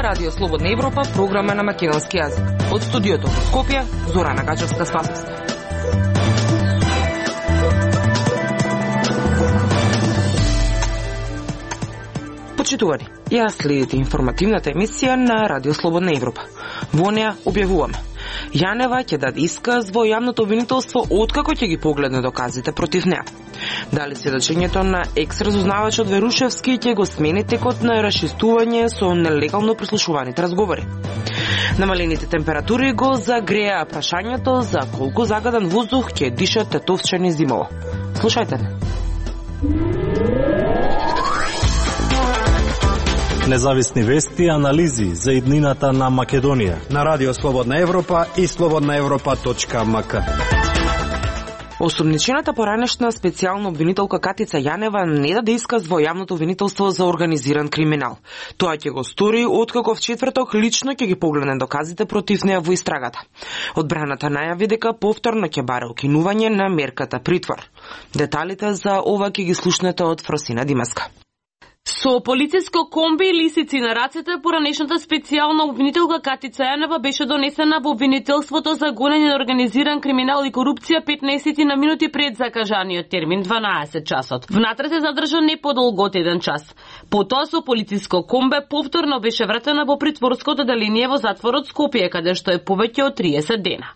Радио Слободна Европа, програма на македонски јазик. Од студиото во Скопје, Зорана Гачевска-Спасовска. Почитувани, ја следите информативната емисија на Радио Слободна Европа. Во неа објавуваме: Јанева ќе даде исказ во јавното обвинителство откако ќе ги погледне доказите против неа. Дали сведочењето на екс-разузнавачот Верушевски ќе го смени текот на расчистување со нелегално прислушуваните разговори. Намалените температури го загреа прашањето за колку загаден воздух ќе дишат тетовчани зимово. Слушајте не. Независни вести и анализи за иднината на Македонија на Радио Слободна Европа и slobodnaevropa.mk. Осумничената поранешна специјална обвинителка Катица Јанева не даде исказ во јавното обвинителство за организиран криминал. Тоа ќе го стори откако в четврток лично ќе ги погледне доказите против неа во истрагата. Одбраната најави дека повторно ќе баре укинување на мерката притвор. Деталите за ова ќе ги слушнете од Фросина Димаска. Со полициско комби и лисици на рацете, поранешната специјална обвинителка Катица Јанева беше донесена во обвинителството за гонење на организиран криминал и корупција 15 на минути пред закажаниот термин 12 часот. Внатре се задржа не подолго од 1 час. Потоа со полициско комбе повторно беше вратена во притворското деление во затворот Скопје, каде што е повеќе од 30 дена.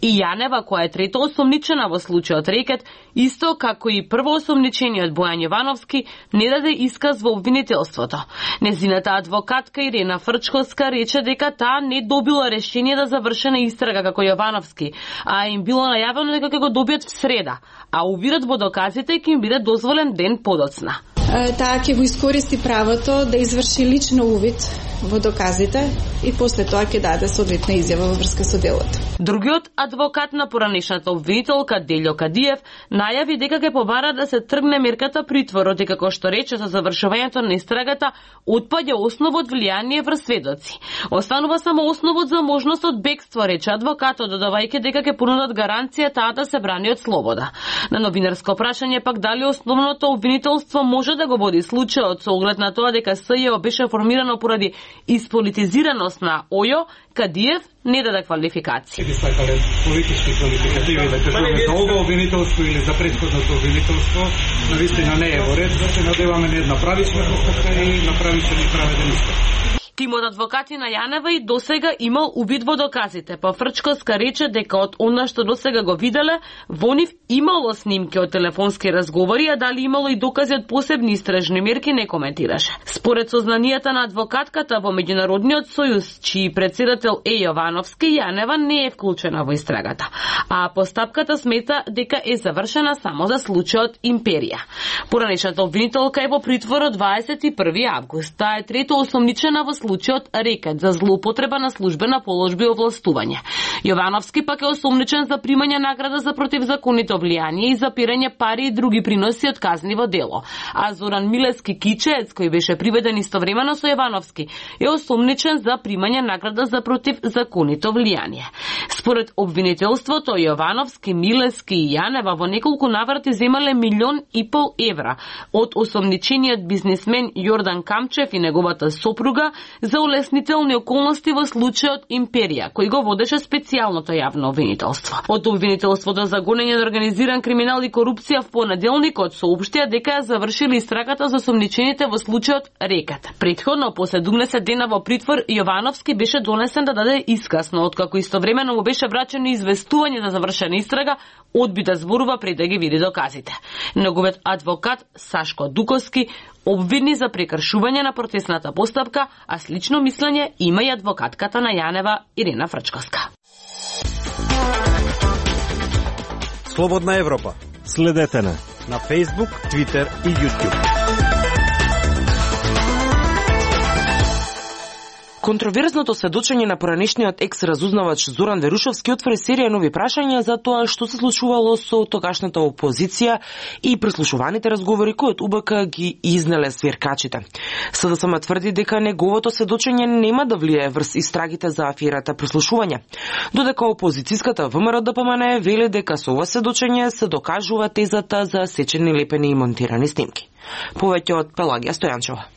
И Јанева, која е трето осомничена во случајот рекет, исто како и прво осомничениот Бојан Јовановски, не даде исказ во обвинителството. Незината адвокатка Ирена Фрчковска рече дека таа не добила решение да завршена истрага како Јовановски, а им било најавено дека ќе го добијат в среда, а увидот во доказите ќе им биде дозволен ден подоцна. Таа ќе го искористи правото да изврши лично увид во доказите и после тоа ќе даде соодветна изјава во врска со делото. Другиот адвокат на поранешната обвинителка Делјо Кадиев најави дека ќе побара да се тргне мерката притвор, дека како што рече со завршувањето на истрагата отпаѓа основот влијание врз сведоци. Останува само основот за можност од бегство, рече адвокатот, додавајќи дека ќе понудат гаранција таа да се брани од слобода. На новинарско прашање пак дали основното обвинителство може да го води случајот со оглед на тоа дека СЈО беше формирано поради исполитизираност на ОЈО, Кадиев не даде квалификација. Би сакале политички квалификативи да кажеме за ова обвинителство или за претходното обвинителство, навистина не е во ред, да се надеваме на една правична постапка и на правичен и праведен исток. Тимот адвокати на Јанева и досега имал увид во доказите, па Фрчковска рече дека од она што досега го виделе, во нив имало снимки од телефонски разговори, а дали имало и докази од посебни истражни мерки не коментираше. Според сознанијата на адвокатката во Меѓународниот сојуз, чиј председател е Јовановски, Јанева не е вклучена во истрагата, а постапката смета дека е завршена само за случајот Империја. Поранешната обвинителка е во притвор од 21 август. Таа е трето осомничена во случајот рекет за злоупотреба на службена положба и овластување. Јовановски пак е осомничен за примање награда за противзаконито влијание и запирање пари и други приноси од казниво дело. А Зоран Милески Кичеец, кој беше приведен истовремено со Јовановски, е осомничен за примање награда за противзаконито влијание. Според обвинителството, Јовановски, Милески и Јанева во неколку наврати земале 1,5 милион евра од осомничениот бизнисмен Јордан Камчев и неговата сопруга за улеснителни околности во случајот Империја, кој го водеше специјалното јавно обвинителство. Од обвинителството за гонење на организиран криминал и корупција в понеделникот соопштија дека ја завршили истрагата за осомничените во случајот рекет. Претходно, по 17 дена во притвор, Јовановски беше донесен да даде исказ, но откако истовремено му беше врачено известување за завршена истрага, одби да зборува пред да ги види доказите. Неговиот адвокат Сашко Дуковски обвини за прекршување на процесната постапка, а слично мислење има и адвокатката на Јанева Ирена Фрчковска. Слободна Европа. Следете на Facebook, Twitter и YouTube. Контроверзното сведочење на поранешниот екс-разузнавач Зоран Верушевски отвори серија нови прашања за тоа што се случувало со тогашната опозиција и прислушуваните разговори кои од УБК ги изнеле свиркачите. СДСМ тврди дека неговото сведочење нема да влијае врз истрагите за аферата прислушување, додека опозицијската ВМРО-ДПМН вели дека со ова сведочење се докажува тезата за сечени, лепени и монтирани снимки. Повеќе од Пелагија Стојанчева.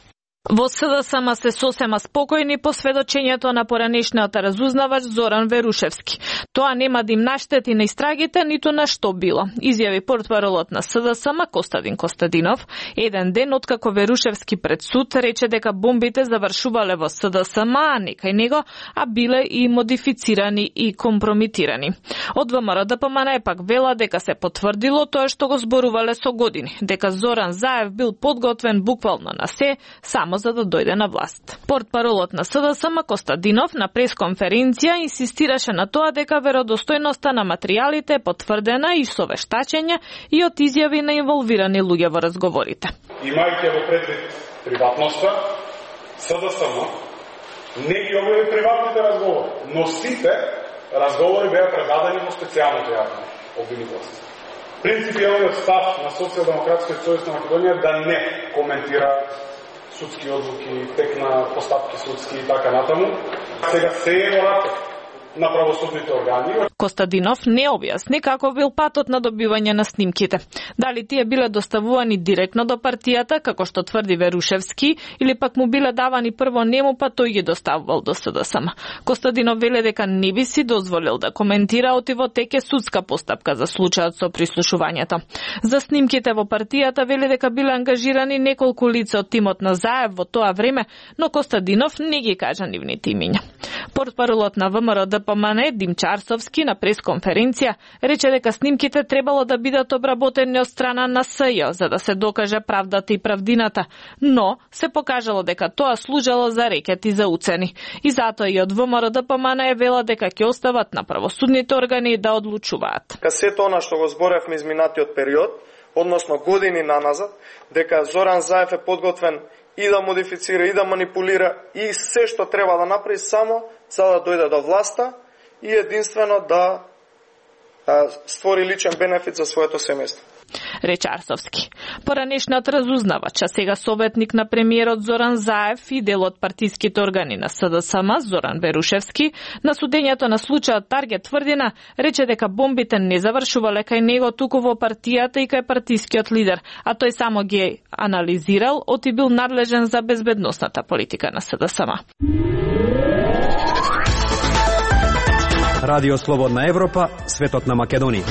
Во СДСМ се сосема спокојни по сведочењето на поранешниот разузнавач Зоран Верушевски. Тоа нема да им наштети на истрагите, ниту на што било, изјави портпаролот на СДСМ Костадин Костадинов, еден ден откако Верушевски пред суд рече дека бомбите завршувале во СДСМ, а не кај него, а биле и модифицирани и компромитирани. Од ВМРО-ДПМН пак вела дека се потврдило тоа што го зборувале со години, дека Зоран Заев бил подготвен буквално на се, само за да дојде на власт. Портпаролот на СДСМ Костадинов на пресконференција инсистираше на тоа дека веродостојноста на материјалите е потврдена и со вештачење и од изјави на инволвирани луѓе во разговорите. Имајќи во предвид приватноста, СДСМ не ги објави приватните разговори, но сите разговори беа предадени во специјалното јавно обвинителство. Принципијалниот став на Социјалдемократскиот сојуз на Македонија да не коментира судски одлуки, тек на постапки судски и така натаму. Сега се е во раков на правосудните органи. Костадинов не објасни како бил патот на добивање на снимките. Дали тие биле доставувани директно до партијата, како што тврди Верушевски, или пак му биле давани прво нему, па тој ги доставувал до СДСМ. Костадинов веле дека не би си дозволил да коментира отиво теке судска постапка за случајот со прислушувањето. За снимките во партијата веле дека биле ангажирани неколку лица од тимот на Заев во тоа време, но Костадинов не ги кажа нивните имиња. Портпаролот на ВМРО-ДПМН Димчарсовски на пресконференција рече дека снимките требало да бидат обработени од страна на СЈ за да се докаже правдата и правдината, но се покажало дека тоа служело за рекет и за уцени. И затоа и од ВМРО-ДПМН вела дека ќе остават на правосудните органи да одлучуваат. Сето она што го зборевме изминатиот период, односно години наназад, дека Зоран Заев е подготвен и да модифицира, и да манипулира, и се што треба да направи само за да дојде до власта и единствено да створи личен бенефит за своето семејство. Рече Арсовски. Поранешниот разузнавач, а сега советник на премиерот Зоран Заев и дел од партиските органи на СДСМ Зоран Верушевски, на судењето на случајот Таргет Тврдина рече дека бомбите не завршувале кај него туку во партијата и кај партискиот лидер, а тој само ги анализирал, оти бил надлежен за безбедносната политика на СДСМ. Радио Слободна Европа, светот на Македонија.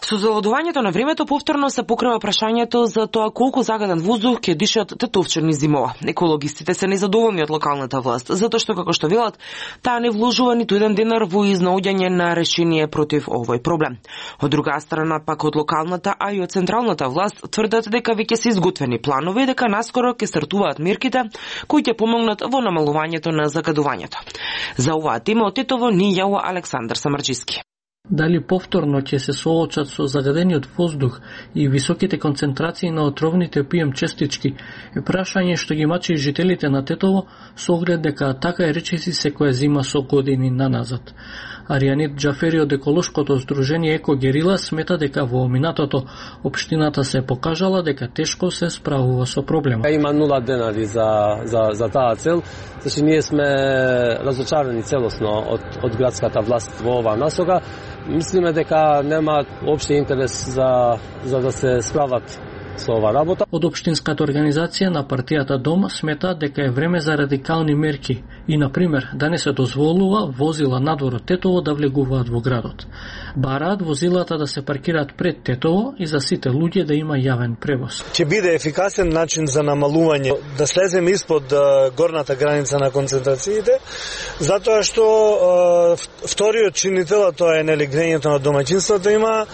Со завладувањето на времето повторно се покрива прашањето за тоа колку загаден воздух ќе дишат тетовчани зимова. Екологистите се незадоволни од локалната власт, затоа што, како што велат, таа не вложува ниту еден денар во изнаоѓање на решение против овој проблем. Од друга страна, пак од локалната, а и од централната власт тврдат дека веќе се изготвени планови и дека наскоро ќе стартуваат мерките кои ќе помогнат во намалувањето на загадувањето. За оваа тема од Тетово ни јава Александар Самарџиски. Дали повторно ќе се соочат со загадениот воздух и високите концентрации на отровните PM честички е прашање што ги мачи жителите на Тетово со оглед дека така е речиси секоја зима со години наназад. Аријанит Џафери од еколошкото здружение Еко Герила смета дека во минатото општината се покажала дека тешко се справува со проблемот. Има 0 денари за таа цел, значи ние сме разочарани целосно од градската власт во оваа насока. Мислиме дека нема општи интерес за да се справат со ова работа. Од општинската организација на партијата Дом смета дека е време за радикални мерки и, например, да не се дозволува возила надвор од Тетово да влегуваат во градот. Бараат возилата да се паркираат пред Тетово и за сите луѓе да има јавен превоз. Ќе биде ефикасен начин за намалување, да слеземе испод горната граница на концентрациите, затоа што вториот чинител, тоа е грејењето на домаќинството, има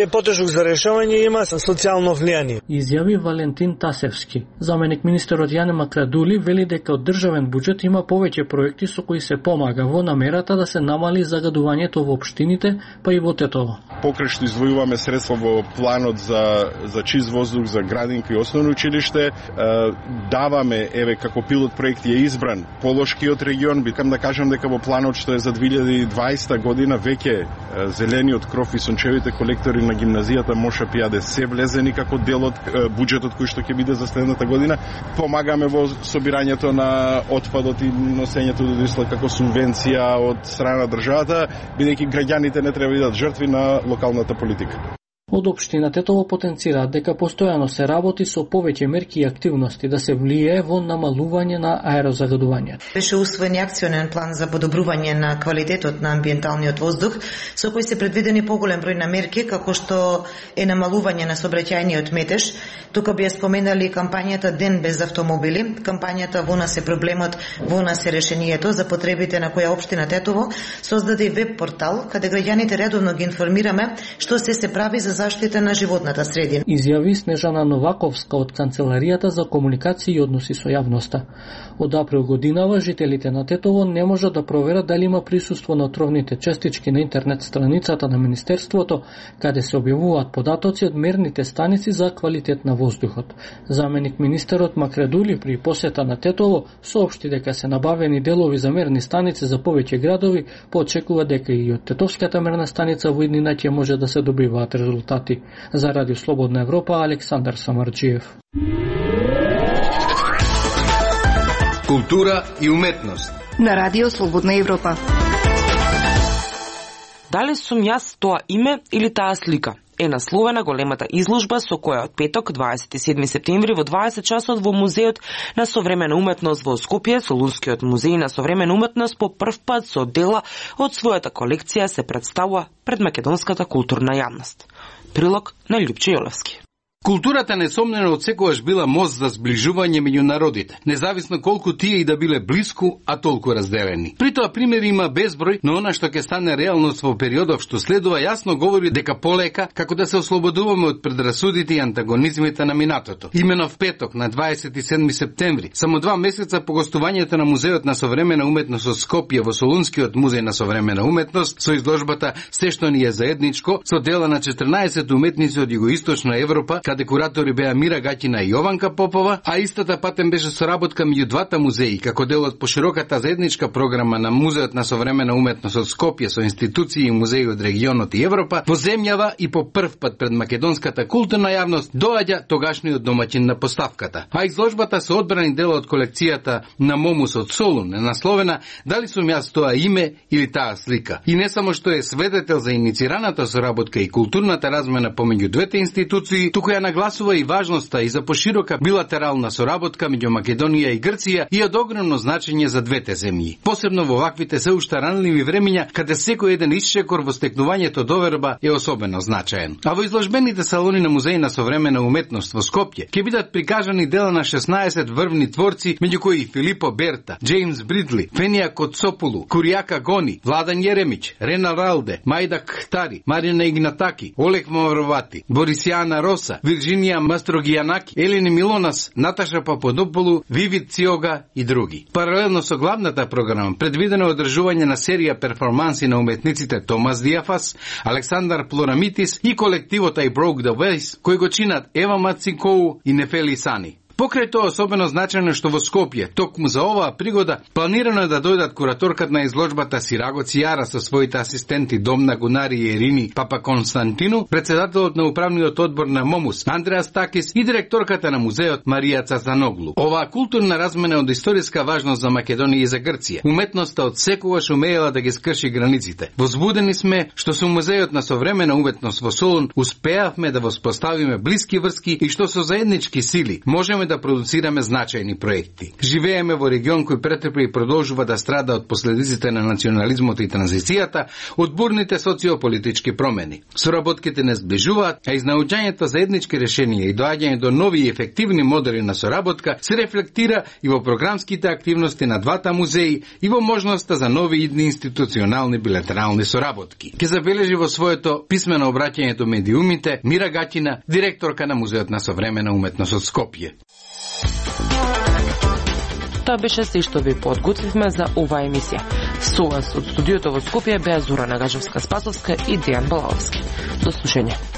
е потежок за решавање и има социјално влијание. Изјави Валентин Тасевски. Заменик министерот Јане Макрадули вели дека од државен буџет има повеќе проекти со кои се помага во намерата да се намали загадувањето во општините, па и во Тетово. Покрај што извојуваме средства во планот за чист воздух за градинка и основно училиште, даваме, еве како пилот проект е избран Полошкиот регион, бикам да кажам дека во планот што е за 2020 година веќе зелениот кров и сончевите колектори на гимназијата Моша Пијаде се влезени како дел од буџетот кој што ќе биде за следната година. Помагаме во собирањето на отпадот и носењето до Ислак како субвенција од страна на државата, бидејќи граѓаните не треба да бидат жртви на локалната политика. Од општина Тетово потенцираат дека постојано се работи со повеќе мерки и активности да се влијае во намалување на аерозагадување. Беше усвоен акционен план за подобрување на квалитетот на амбиенталниот воздух, со кој се предвидени поголем број на мерки, како што е намалување на сообраќајниот метеж. Тука би споменали кампањата Ден без автомобили, кампањата Во нас е проблемот, во нас е решението, за потребите на која општина Тетово создаде и веб портал, каде граѓаните редовно ги информираме што се прави за заштита на животната средина. Изјави Снежана Новаковска од Канцеларијата за комуникација и односи со јавноста. Од април годинава жителите на Тетово не можат да проверат дали има присуство на отровните честички на интернет страницата на Министерството, каде се објавуваат податоци од мерните станици за квалитет на воздухот. Заменик министерот Макредули при посета на Тетово соопшти дека се набавени делови за мерни станици за повеќе градови, поочекува дека и од Тетовската мерна станица во иднина ќе може да се добиваат резултати. За Радио Слободна Европа, Александар Самарджиев. Култура и уметност на Радио Слободна Европа. Дали сум јас тоа име или таа слика? Е насловена големата изложба со која од петок, 27 септември, во 20 часот во Музеот на современа уметност во Скопје, Солунскиот музеј на современа уметност по прв пат со дела од својата колекција се представува пред македонската културна јавност. Прилог на Љупче Јолевски. Културата несомнено од секогаш била мост за зближување меѓу народите, независно колку тие и да биле блиску, а толку разделени. При тоа примери има безброј, но она што ќе стане реалност во периодов што следува јасно говори дека полека како да се ослободуваме од предрасудите и антагонизмите на минатото. Имено в петок на 27 септември, само 2 месеца по гостувањето на Музеот на современа уметност од Скопје во Солунскиот музеј на современа уметност со изложбата Се што ни е заедничко, со дела на 14 уметници од југоисточна Европа, декоратори беа Мира Гаќина и Јованка Попова, а истата патем беше соработка меѓу двата музеи, како дел од пошироката заедничка програма на Музеот на современа уметност од Скопје со институции и музеи од регионот и Европа, во земјава и по прв пат пред македонската културна јавност доаѓа тогашниот домаќин на поставката. А изложбата со одбрани дела од колекцијата на Момус од Солун е насловена Дали сум јас тоа име или таа слика. И не само што е свидетел за иницираната соработка и културната размена помеѓу двете институции, туку ја нагласува и важноста и за поширока билатерална соработка меѓу Македонија и Грција и од огромно значење за двете земји. Посебно во ваквите се уште ранливи времиња, каде секој еден исчекор во стекнувањето доверба е особено значаен. А во изложбените салони на Музеј на современа уметност во Скопје ќе бидат прикажани дела на 16 врвни творци, меѓу кои Филипо Берта, Джеймс Бридли, Фенија Коцопулу, Куријака Гони, Владан Јеремиќ, Рена Ралде, Мајдак Хтари, Марина Игнатаки, Олег Мавровати, Борисијана Роса, Вирджинија Мастрогијанаки, Елени Милонас, Наташа Пападополу, Вивид Циога и други. Паралелно со главната програма предвидено одржување на серија перформанси на уметниците Томас Диафас, Александар Плорамитис и колективот I Broke the Vase, кој го чинат Ева Мацикоу и Нефели Сани. Покрај тоа особено значајно што во Скопје, токму за оваа пригода, планирано е да дојдат кураторката на изложбата Сираго Цијара со своите асистенти Домна Гунари и Ерини Папа Константину, председателот на управниот одбор на Момус Андреас Такис и директорката на музеот Марија Цацаноглу. Оваа културна размена од историска важност за Македонија и за Грција. Уметноста од секогаш умеела да ги скрши границите. Возбудени сме што со музеот на современа уметност во Солун успеавме да воспоставиме блиски врски и што со заеднички сили можеме можеме да продуцираме значајни проекти. Живееме во регион кој претрпи и продолжува да страда од последиците на национализмот и транзицијата, од бурните социополитички промени. Соработките не сближуваат, а изнаоѓањето за еднички решенија и доаѓање до нови и ефективни модели на соработка се рефлектира и во програмските активности на двата музеи и во можноста за нови идни институционални билатерални соработки. Ке забележи во своето писмено обраќање до медиумите Мира Гатина, директорка на Музеот на современа уметност од Скопје. Тоа беше се што ви подготвивме за оваа емисија. Со вас од студиото во Скопје беа Зора Нагажевска-Спасовска и Дејан Балаловски. До слушање.